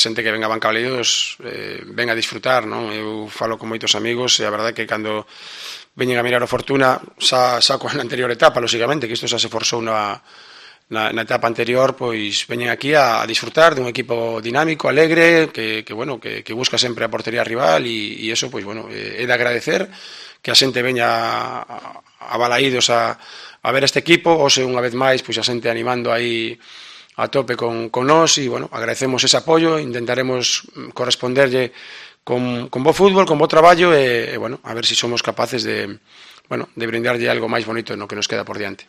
xente que venga a Banca Baleidos venga a disfrutar, non? Eu falo con moitos amigos e a verdade é que cando veñen a mirar o Fortuna xa coa anterior etapa, lóxicamente, que isto xa se forzou na etapa anterior, pois veñen aquí a disfrutar dun equipo dinámico, alegre, que busca sempre a portería rival e eso, pois, bueno, é de agradecer que a xente veña a Balaídos a ver este equipo, hoxe unha vez máis, pois a xente animando aí a tope con nós e, bueno, agradecemos ese apoio, intentaremos corresponderlle con bo fútbol, con bo traballo e, bueno, a ver se somos capaces de brindarlle algo máis bonito no que nos queda por diante.